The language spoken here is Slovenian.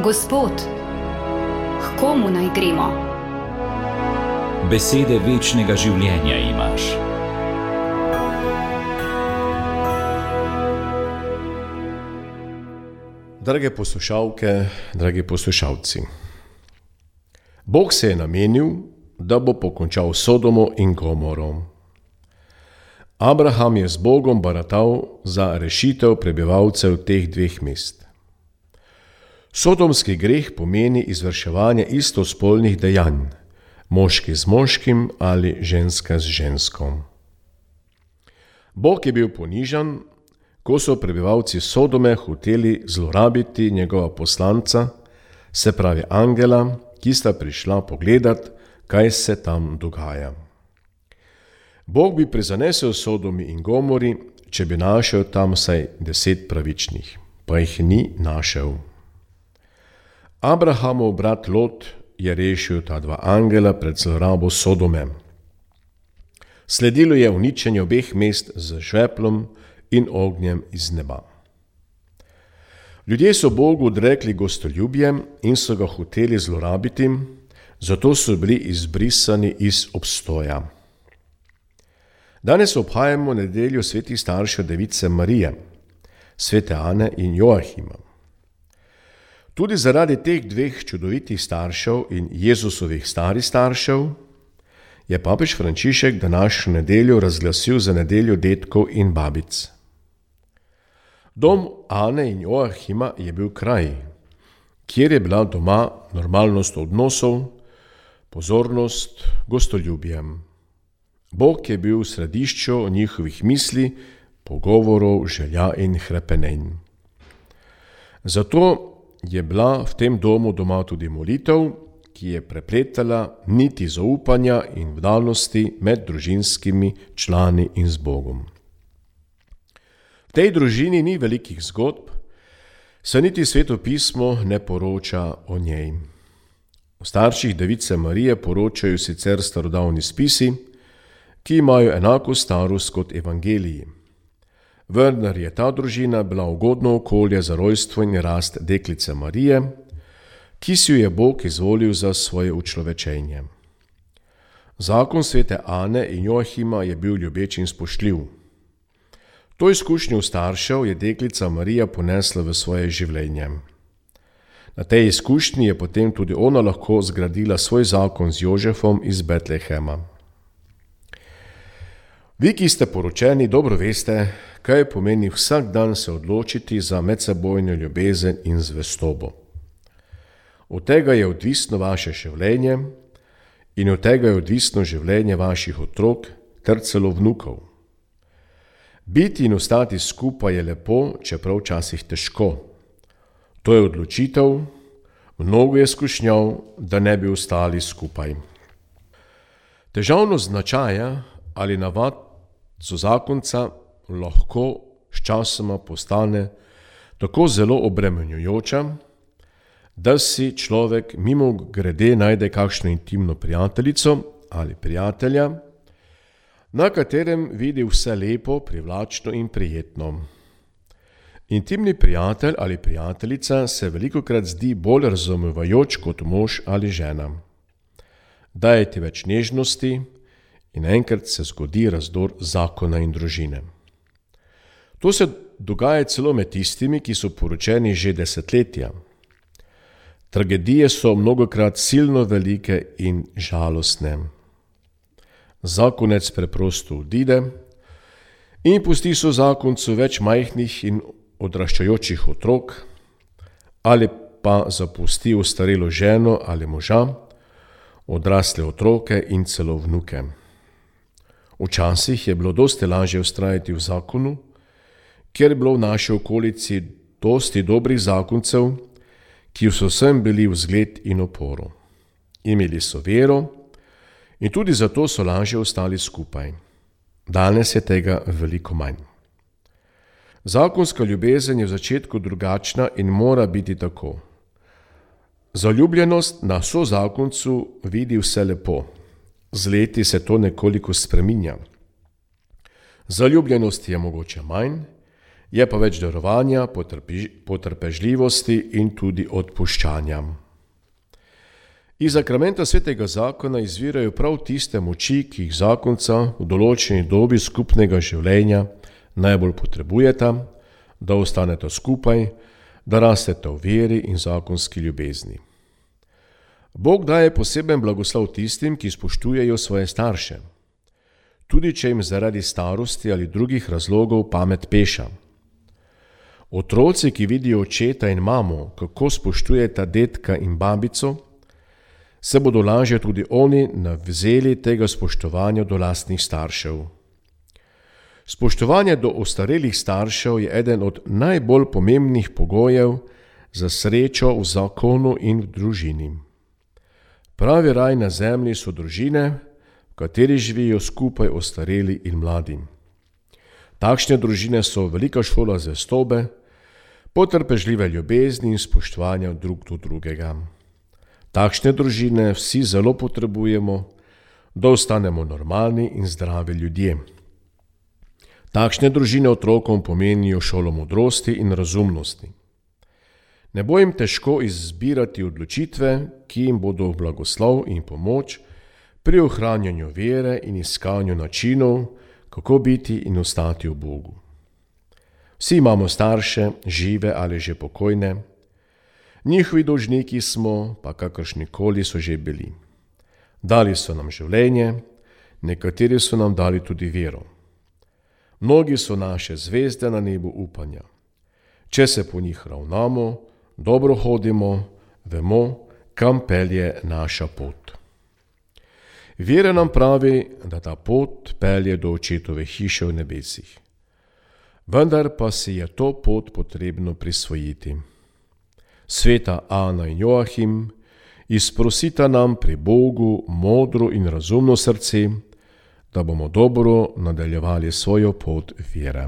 Gospod, k komu naj gremo? Besede večnega življenja imaš. Drage poslušalke, dragi poslušalci. Bog se je namenil, da bo pokončal Sodomo in Gomoro. Abraham je z Bogom baratal za rešitev prebivalcev teh dveh mest. Sodomski greh pomeni izvrševanje istospolnih dejanj, moški z moškim ali ženska z ženskom. Bog je bil ponižan, ko so prebivalci Sodome hoteli zlorabiti njegova poslanca, se pravi angela, ki sta prišla pogledat, kaj se tam dogaja. Bog bi prizanesel Sodomi in Gomori, če bi našel tam vsaj 10 pravičnih, pa jih ni našel. Abrahamov brat Lot je rešil ta dva angela pred zlorabo Sodome. Sledilo je uničenje obeh mest z žveplom in ognjem iz neba. Ljudje so Bogu odrekli gostoljubje in so ga hoteli zlorabiti, zato so bili izbrisani iz obstoja. Danes obhajamo nedeljo svetih staršev Device Marije, svete Ane in Joahima. Tudi zaradi teh dveh čudovitih staršev in Jezusovih starih staršev je papež Frančišek današnjo nedeljo razglasil za nedeljo dedkov in babic. Dom Ane in Joahima je bil kraj, kjer je bila doma normalnost odnosov, pozornost, gostoljubje. Bog je bil v središču njihovih misli, pogovorov, želja in hrepenenj. Zato je bila v tem domu doma tudi molitev, ki je prepletala niti zaupanja in vdanosti med družinskimi člani in z Bogom. V tej družini ni velikih zgodb, saj niti Sveto pismo ne poroča o njej. O starših Device Marije poročajo sicer starodavni spisi, ki imajo enako starost kot evangeliji. Vendar je ta družina bila ugodno okolje za rojstvo in rast deklice Marije, ki si jo je Bog izvolil za svoje učlovečenje. Zakon svete Ane in Joahima je bil ljubeč in spoštljiv. To izkušnjo staršev je deklica Marija ponesla v svoje življenje. Na tej izkušnji je potem tudi ona lahko zgradila svoj zakon z Jožefom iz Betlehema. Vi, ki ste poročeni, dobro veste, kaj pomeni vsak dan se odločiti za medsebojno ljubezen in zvestobo. Od tega je odvisno vaše življenje in od tega je odvisno življenje vaših otrok ter celo vnukov. Biti in ostati skupaj je lepo, čeprav včasih težko. To je odločitev, mnogo je skušnjav, da ne bi ostali skupaj. Težavnost značaja ali navad zakonca lahko sčasoma postane tako zelo obremenjujoča, da si človek mimogrede najde kakšno intimno prijateljico ali prijatelja, na katerem vidi vse lepo, privlačno in prijetno. Intimni prijatelj ali prijateljica se velikokrat zdi bolj razumevajoč kot mož ali žena. Daje ti več nežnosti in enkrat se zgodi razdor zakona in družine. To se dogaja celo med tistimi, ki so poročeni že desetletja. Tragedije so mnogokrat silno velike in žalostne. Zakonec preprosto odide in pusti zakoncu več majhnih in odraščajočih otrok, ali pa zapusti ostarelo ženo ali moža, odrasle otroke in celo vnuke. Včasih je bilo dosti lažje vztrajati v zakonu, ker je bilo v naši okolici dosti dobrih zakoncev, ki so vsem bili vzgled in oporo. Imeli so vero in tudi zato so lažje ostali skupaj. Danes je tega veliko manj. Zakonska ljubezen je v začetku drugačna in mora biti tako. Zaljubljenost na sozakoncu vidi vse lepo. Z leti se to nekoliko spreminja. Zaljubljenosti je mogoče manj Je pa več darovanja, potrpežljivosti in tudi odpuščanja. Iz sakramenta svetega zakona izvirajo prav tiste moči, ki jih zakonca v določeni dobi skupnega življenja najbolj potrebujeta, da ostaneta skupaj, da rasteta v veri in zakonski ljubezni. Bog daje poseben blagoslov tistim, ki spoštujejo svoje starše, tudi če jim zaradi starosti ali drugih razlogov pamet peša. Otroci, ki vidijo očeta in mamo, kako spoštujeta dedka in babico, se bodo lažje tudi oni navzeli tega spoštovanja do lastnih staršev. Spoštovanje do ostarelih staršev je eden od najbolj pomembnih pogojev za srečo v zakonu in v družini. Pravi raj na zemlji so družine, v kateri živijo skupaj ostareli in mladi. Takšne družine so velika šola zvestobe, potrpežljive ljubezni in spoštovanja drug do drugega. Takšne družine vsi zelo potrebujemo, da ostanemo normalni in zdravi ljudje. Takšne družine otrokom pomenijo šolo modrosti in razumnosti. Ne bo jim težko izbirati odločitve, ki jim bodo v blagoslov in pomoč pri ohranjanju vere in iskanju načinov, kako biti in ostati v Bogu. Vsi imamo starše, žive ali že pokojne. Njihovi dolžniki smo, pa kakršnikoli so že bili. Dali so nam življenje, nekateri so nam dali tudi vero. Mnogi so naše zvezde na nebu upanja. Če se po njih ravnamo, dobro hodimo, vemo, kam pelje naša pot. Vera nam pravi, da ta pot pelje do očetove hiše v nebesih. Vendar pa si je to pot potrebno prisvojiti. Sveta Ana in Joachim izprosita nam pri Bogu modro in razumno srce, da bomo dobro nadaljevali svojo pot vere.